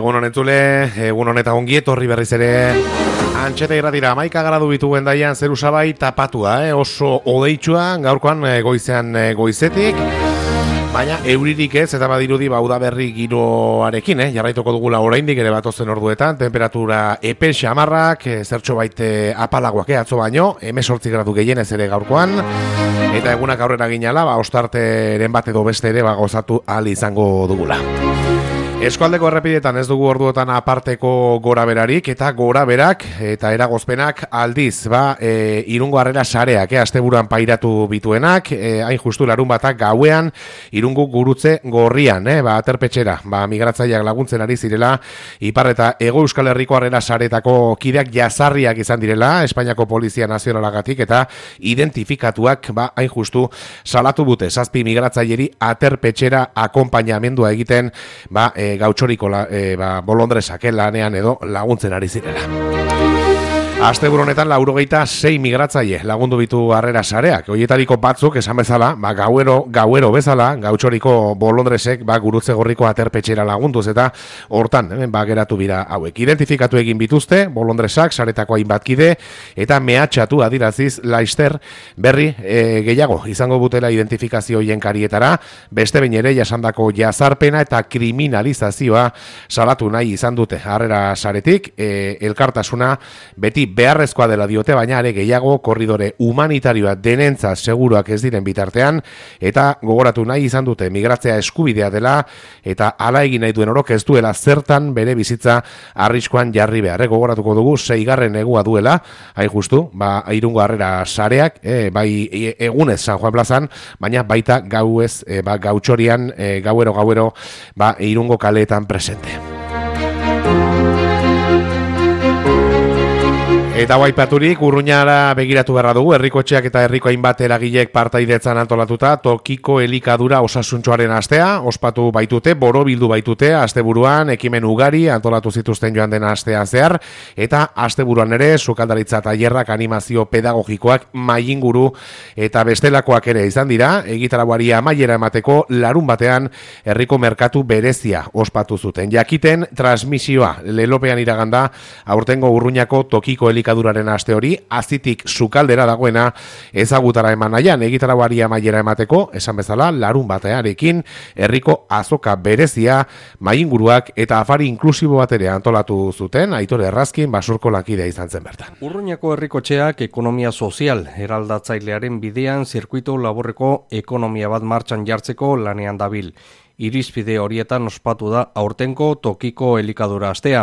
Egun honetzule, egun honeta ongi etorri berriz ere Antxeta irratira, 11 gradu bitu gendaian zeru sabai tapatua, oso odeitsua, gaurkoan goizean goizetik, baina euririk ez, eta badirudi udaberri giroarekin, jarraituko dugula oraindik ere batozen orduetan, temperatura epel xamarrak, zertxo baite apalagoak atzo baino, 18 gradu gehienez ere gaurkoan, eta egunak aurrera ginala, ostarteren bat edo beste ere gozatu ahal izango dugula. Eskualdeko errepidetan ez dugu orduotan aparteko goraberarik eta goraberak eta eragozpenak aldiz, Irungo Harrera sareak, asteburuan pairatu bituenak, hain justu larun batak gauean Irungo Gurutze Gorrian, aterpetxera, migratzaileak laguntzen ari zirela, Ipar eta Hego Euskal Herriko Harrera saretako kideak jazarriak izan direla, Espainiako Polizia Nazionalagatik eta identifikatuak, hain justu salatu bute, 7 migratzaileri aterpetxera akonpainamendua egiten, gautxoriko bolondresak lanean edo laguntzen ari zirela. Asteburu honetan 86 migratzaile lagundu bitu Harrera sareak. Horietariko batzuk esan bezala, gauero bezala, gautxoriko bolondresek Gurutze Gorriko aterpetxera lagunduz eta hortan geratu bira hauek. Identifikatu egin bituzte bolondresak saretako hainbat kide eta mehatxatu adiraziz Laister berri gehiago izango butela identifikazio hoien karietara, beste behin ere jasandako jazarpena eta kriminalizazioa salatu nahi izan dute Harrera saretik, elkartasuna beti beharrezkoa dela diote, baina ere gehiago korridore humanitarioa denentzat seguruak ez diren bitartean, eta gogoratu nahi izan dute migratzea eskubidea dela, eta hala egin nahi duen orok ez duela zertan bere bizitza arriskuan jarri behar. Gogoratuko dugu 6. negua duela, hain justu, Irungo Harrera sareak, bai egunez San Juan plazan, baina baita gauez, gautxorian, gauero, Irungo kaleetan presente. Eta baipaturik, Urruñara begiratu beharra dugu, herrikotxeak eta herriko hainbat eragilek partaidetzan antolatuta, tokiko elikadura osasuntxoaren astea, ospatu baitute, borobildu baitute, asteburuan, ekimen ugari antolatu zituzten joan den astean zehar, eta asteburuan ere, sukaldaritza tailerrak, animazio pedagogikoak, mailinguru eta bestelakoak ere izan dira, egitarauari amaiera emateko larun batean herriko merkatu berezia ospatu zuten. Jakiten, transmisioa, lelopean iraganda, aurtengo Urruñako tokiko elikaduraren aste hori, azitik sukaldera dagoena ezagutara eman nahian, egitarauari amaiera emateko, esan bezala, larun batearekin, herriko azoka berezia, mainguruak eta afari inklusibo bat ere antolatu zuten, Aitor Errazkin basurko lankidea izan zen bertan. Urruñako herrikotxeak ekonomia sozial eraldatzailearen bidean zirkuito laborreko ekonomia bat martxan jartzeko lanean dabil. Irizpide horietan ospatu da aurtenko tokiko elikadura astea.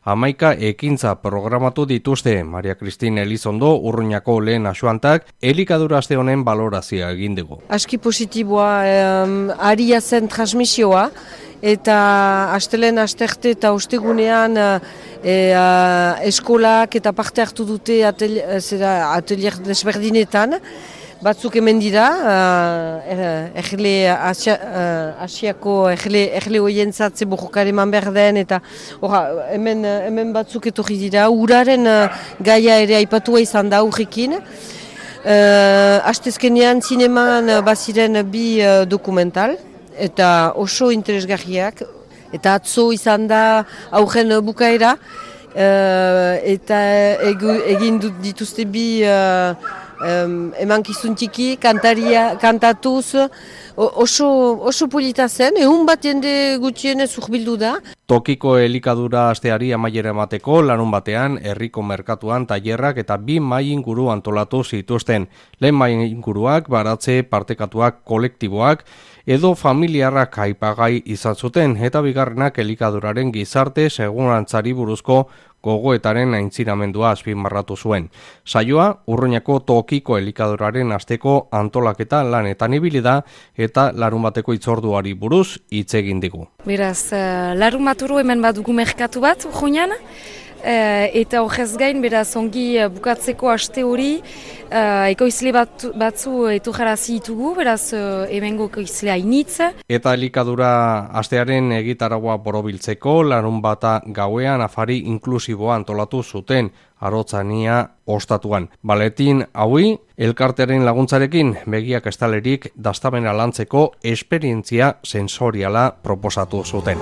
11 ekintza programatu dituzte. Maria Kristin Elizondo, Urruñako lehen asuantak, elikadura aste honen balorazioa egin dugu. Aski positiboa aria zen transmisioa, eta astelen asterte eta ostegunean eskolak eta parte hartu dute atelier desberdinetan. Batzuk hemen dira, Asiako erle hoientzat borrokare eman behar den, eta hemen batzuk etorri dira, uraren gaia ere aipatua izan da aurrekin. Astezkenean zineman baziren 2 dokumental, eta oso interesgarriak, eta atzo izan da aurren bukaera, eta egin dituzte 2 emankizun txiki, kantatuz, oso polita zen, egun bat jende gutxienez urbildu da. Tokiko elikadura asteari amaiera emateko larun batean herriko merkatuan tailerrak eta 2 mailinguru antolatu zituzten. Lehen mailinguruak baratze partekatuak kolektiboak edo familiarrak aipagai izan zuten, eta bigarrenak elikaduraren gizarte segurantzari buruzko gogoetaren aintzinamendua azpimarratu zuen. Saioa, Urruñako tokiko elikaduraren asteko antolaketa lanetan ibili da eta larunbateko hitzorduari buruz hitz egin digu. Beraz, larunbaturu hemen badugu merkatu bat Urruñan, eta horrez gain, beraz, ongi bukatzeko aste hori, ekoizle batzu etorrarazi ditugu, beraz, hemengo ekoizlea hainitz. Eta elikadura astearen egitaragua borobiltzeko, larunbata gauean afari inklusiboa antolatu zuten, Arotzania ostatuan. Baletin haui, elkartearen laguntzarekin begiak estalerik dastamena lantzeko esperientzia sensoriala proposatu zuten.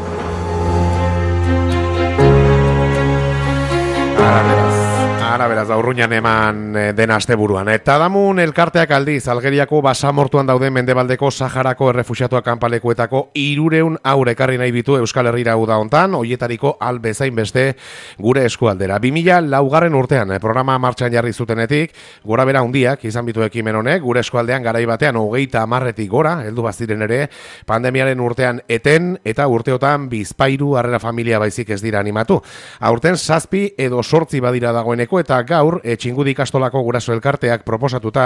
Ara beraz, Urruñan eman den asteburuan. Eta damun elkarteak aldiz, Algeriako basamortuan dauden Mendebaldeko Saharako errefuxiatuak kanpalekuetako 300 haur ekarri nahi bitu Euskal Herrira uda hontan, hoietariko albezain beste gure eskualdera. 2004 urtean programa martxan jarri zutenetik, gora bera hundiak izan bitu ekimen honek, gure eskualdean garai batean 30 gora, heldu baziren ere, pandemiaren urtean eten eta urteotan bizpairu harrera familia baizik ez dira animatu. Aurten 7 edo 8 badira dagoeneko eta gaur Txingudi ikastolako guraso elkarteak proposatuta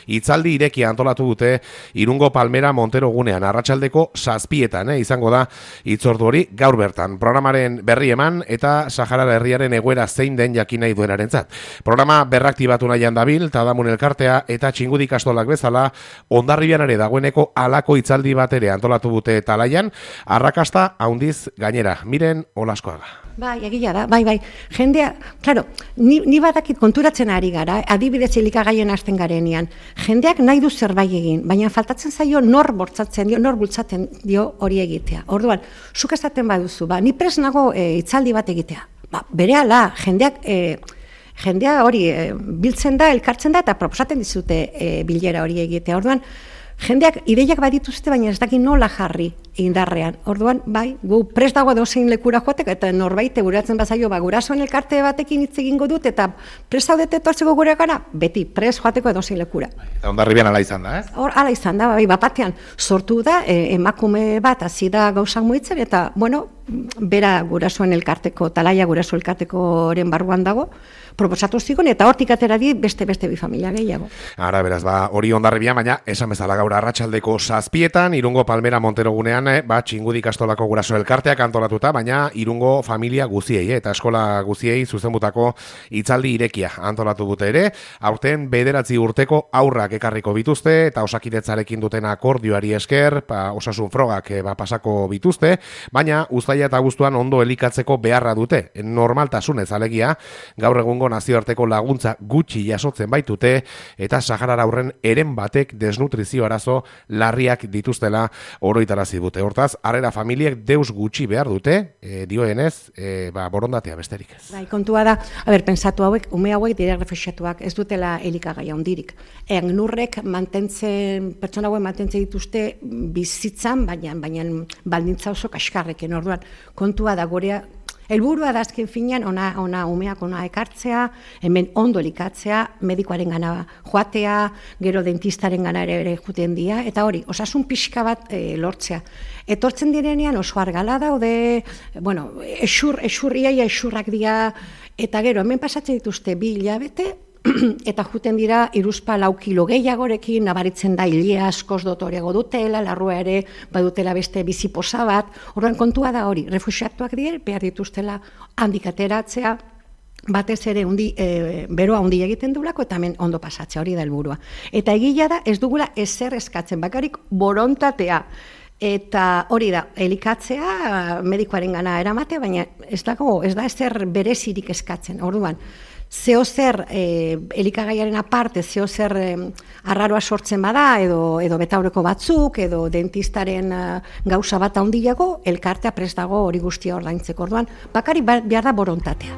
hitzaldi irekia antolatu dute Irungo Palmera Montero gunean arratsaldeko 7etan izango da hitzordu hori gaur bertan. Programaren berri eman eta Sahara herriaren egoera zein den jakin nahi duenarentzat. Programa berraktibatu nahian dabil Tadamun elkartea eta Txingudi ikastolak bezala Hondarribian ere dagoeneko halako hitzaldi bat ere antolatu dute talaian, arrakasta handiz gainera. Miren Olaskoaga. Bai, egia da, bai. Jendea, claro, ni badakit konturatzen ari gara, adibidez elikagaien hasten garenean. Jendeak nahi du zerbait egin, baina faltatzen zaio nor bortzatzen dio, nor bultzatzen dio hori egitea. Orduan, zuk esaten baduzu, ni prest nago hitzaldi bat egitea. Berehala, jendea hori biltzen da, elkartzen da, eta proposatzen dizute bilera hori egitea. Orduan, jendeak ideiak badituzte, baina ez daki nola jarri indarrean. Orduan, bai, gu prest dago edozein lekura joatek, eta norbait guratzen bazaio, gurasoen elkarte batekin hitz egingo dut, eta prest zaudete etortzeko gure gara, beti prest joateko edozein lekura. Eta Hondarribian ala izan da, ez? Hor, ala izan da, bai, bapatean sortu da, emakume bat hasi da gauzak muitzen, eta, bueno, bera gurasoen elkarteko, talaia guraso elkartekoren barruan dago, proposatu zigon, eta hortik atera di beste bi familia gehiago. Ara, beraz, hori Hondarribian, baina esan bezala gaur arratsaldeko 7etan, Irungo Palmera Montero gunean, Txingudi ikastolako guraso elkarteak antolatuta, baina Irungo familia guziei, eta eskola guziei zuzenbutako hitzaldi irekia antolatu dute ere, aurten 9 urteko aurrak ekarriko bituzte, eta osakidetzarekin duten akordioari esker, osasun frogak pasako bituzte, baina uztaila eta abuztuan ondo elikatzeko beharra dute, normaltasunez alegia, gaur egungo nazioarteko laguntza gutxi jasotzen baitute, eta Saharara aurren eren batek desnutrizio arazo larriak dituztela oroitarazi dute. Hortaz, harrera familiek deus gutxi behar dute, dioenez, borondatea besterik ez. Bai, kontua da, pentsatu hauek, ume hauek dira refuxiatuak, ez dutela elikagaia hondirik. Nurrek pertsona hauek mantentzen dituzte bizitzan, baina baldintza oso kaskarrekin. Orduan, kontua da gorea, helburua da azken finean umeak ona ekartzea, hemen ondo elikatzea, medikoaren gana joatea, gero dentistaren gana ere juten dira, eta hori, osasun pixka bat lortzea. Etortzen direnean oso argala daude, iaia esurrak dira, eta gero hemen pasatzen dituzte 2 hilabete, eta juten dira 3-4 kilo gehiagorekin, nabaritzen da hilia askoz dotorego dutela, larrua ere badutela beste biziposa bat. Orduan kontua da hori, refuxiatuak dira, behar dituztela handik ateratzea, batez ere beroa hundi egiten duelako, eta hemen ondo pasatzea, hori da helburua. Eta egia da, ez dugula ezer eskatzen, bakarrik borontatea. Eta hori da, elikatzea, medikoaren gana eramatea, baina ez da ezer berezirik eskatzen. Orduan, zeozer elikagaiaren aparte, zeozer arraroa sortzen bada, edo betaurreko batzuk, edo dentistaren gauza bat handiago, elkartea prest dago hori guztia ordaintzeko. Orduan, bakari behar da borontatea.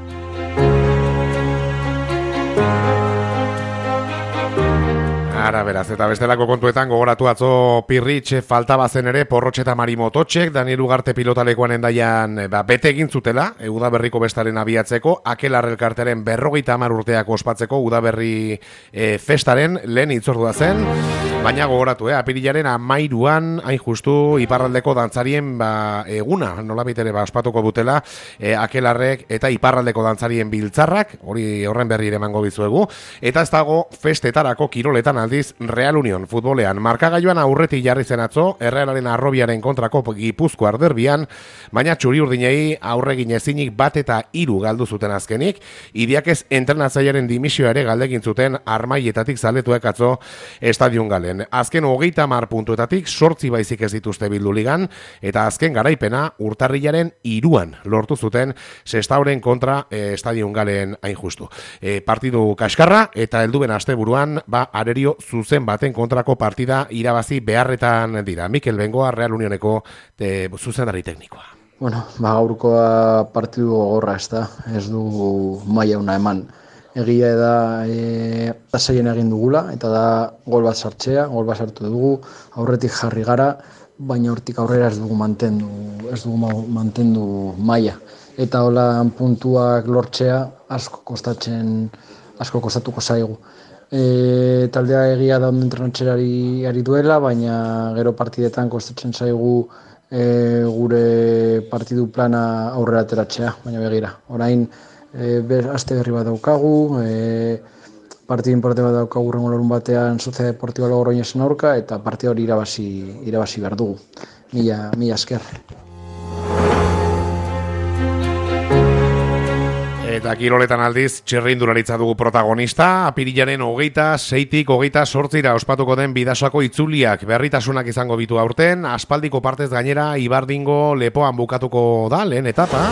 Ara, beraz, eta bestelako kontuetan gogoratu atzo Pirritx falta bazen ere Porrotx eta Marimototxek, Daniel Ugarte pilotalekuan endaian bete egin zutela, Udaberriko bestaren abiatzeko, Akelar elkartearen 50 urteak ospatzeko Udaberri festaren lehen hitzordua zen, baina gogoratu, apirilaren 13an hain justu iparraldeko dantzarien eguna, nolabait ere ospatuko dutela, Akelarrek eta iparraldeko dantzarien biltzarrak, hori horren berri ere emango bizuegu, eta ez dago festetarako kiroletan aldiz Real Union futbolean markagailuan aurretik jarri zen atzo Errealaren Arrobiaren kontrako Gipuzkoar derbian, baina txuri urdinei aurregin ezinik 1-3 galdu zuten azkenik, Idiakez entrenatzailearen dimisioa ere galdegin zuten Armaietatik zaletuek atzo estadion galen. Azken 30 puntuetatik 8 baizik ez dituzte bildu ligan, eta azken garaipena urtarrilaren 3an lortu zuten Sestauren kontra estadion galen hain justu. Partidu kaskarra eta helduben asteburuan arerio zuzen baten kontrako partida irabazi beharretan dira. Mikel Bengoa, Real Unioneko zuzendari teknikoa. Bueno, gaurkoa partidu gogorra, ez du maila una eman. Egia da zeien egin dugula, eta da gol bat sartu dugu, aurretik jarri gara, baina hortik aurrera ez dugu mantendu maila. Eta hola puntuak lortzea asko kostatuko zaigu. Taldea egia da ondo entrenatxerari ari duela, baina gero partidetan kostatzen zaigu gure partidu plana aurrera ateratzea, baina begira. Orain aste berri bat daukagu, partidu importante bat daukagu hurrengo larun batean Sociedad Deportiva Logroñesen aurka, eta partidu hori irabazi behar dugu. Mila esker. Eta kiroletan aldiz, txirrindularitza dugu protagonista, apirilaren 26-tik 28-ra ospatuko den Bidasoako itzuliak berritasunak izango bitu aurten, aspaldiko partez gainera Ibardingo lepoan bukatuko da lehen etapa.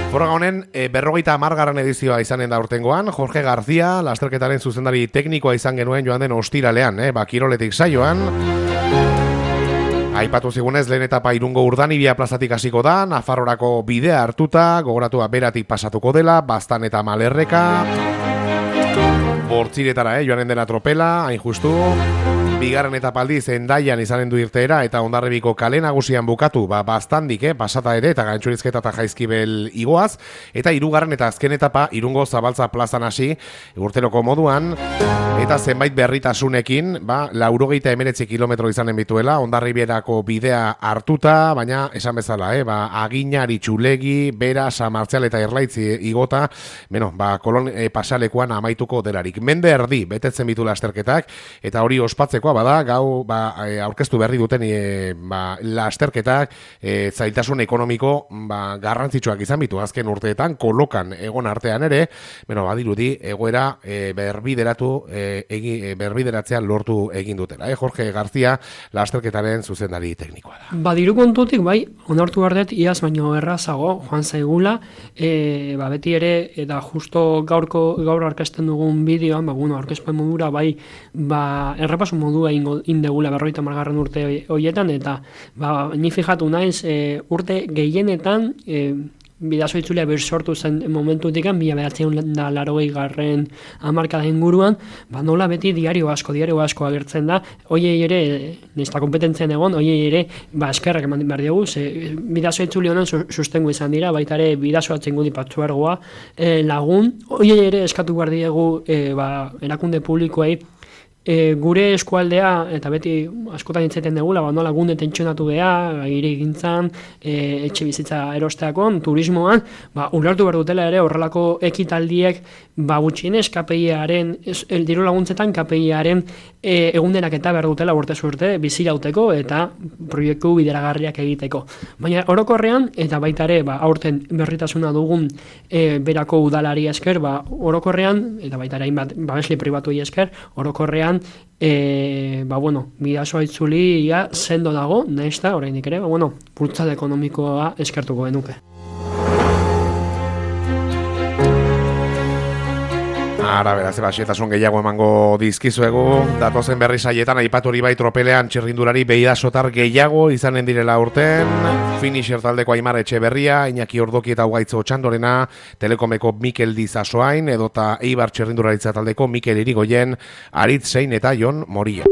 Foroga honen, 50. edizioa izanen da urtengoan, Jorge García, lasterketaren zuzendari teknikoa izan genuen joan den ostiralean, kiroletik saioan. Aipatu zigunez, lehen etapa Irungo Urdanibia plazatik hasiko da, Nafarrorako bidea hartuta, gogoratua beratik pasatuko dela, Baztan eta Malerreka, Bortziretara, joanen dela tropela, hain justu. Bigarren etapa aldiz Hendaian izanen du irteera eta Hondarribiko kale nagusian bukatu, Baztandik, pasata ere eta Gantxurizketa eta Jaizkibel igoaz, eta hirugarren eta azken etapa Irungo Zabaltza plazan hasi, urteroko moduan, eta zenbait berritasunekin, 89 kilometro izanen bituela, Hondarribierako bidea hartuta, baina esan bezala, Aginari, Txulegi, Bera, San Martzial eta Erlaitzi igota, Kolon pasalekuan amaituko delarik. Mende erdi, betetzen bitu lasterketak, eta hori ospatzeko bada, gau aurkeztu berri duten lasterketak zailtasun ekonomiko garrantzitsuak izan bitu azken urteetan, kolokan egon artean ere, badirudi egoera berbideratzea lortu egin dutela. Jorge García lasterketaren zuzendari teknikoa da. Badiru kontutik, onartu bardet, iaz baino errazago, joan zaigula, beti ere, eta justo gaur arkezten dugun bideoan, aurkezpen modura, errepasu modu indegula 50. urte horietan, eta ni fijatu naiz urte gehienetan Bidaso itzulia sortu zen momentutik 1980 hamarkada inguruan, nola beti diario asko agertzen da, hoiei ere, nesta kompetentzien egon, hoiei ere, eskerrak eman behar diogu, Bidaso itzuli honen sustengo izan dira, baita ere Bidaso atzengudi patzuergoa lagun, hoiei ere eskatu behar diegu erakunde publikoei, gure eskualdea, eta beti askotan hitzaiten degula, nola gunde tentsionatu beha, hirigintzan, etxe bizitza erosteakon, turismoan, ulertu behar dutela ere horrelako ekitaldiek, gutxienez KPI-aren, diru laguntzetan KPI-aren egundenak eta behar dutela urtez urte bizirauteko eta proiektu bideragarriak egiteko. Baina orokorrean, eta baita ere, aurten berritasuna dugun berako udalari esker, orokorrean, eta baita ere hainbat babesle pribatuei esker, orokorrean Bidasoa itzuli sendo dago, nahizta, oraindik ere, bultzada ekonomikoa eskertuko genuke. Ara, beraz, xehetasun gehiago emango dizkizuegu, datozen berri saietan aipatu hori bai tropelean txirrindulari Bidasotar gehiago izanen direla urten, finisher taldeko Aimar Etxeberria, Iñaki Ordoki eta Ugaitz Otxandorena, Telekomeko Mikel Dizasoain, edota Eibar txirrindularitza taldeko Mikel Irigoyen, Aritz Sein eta Jon Moria.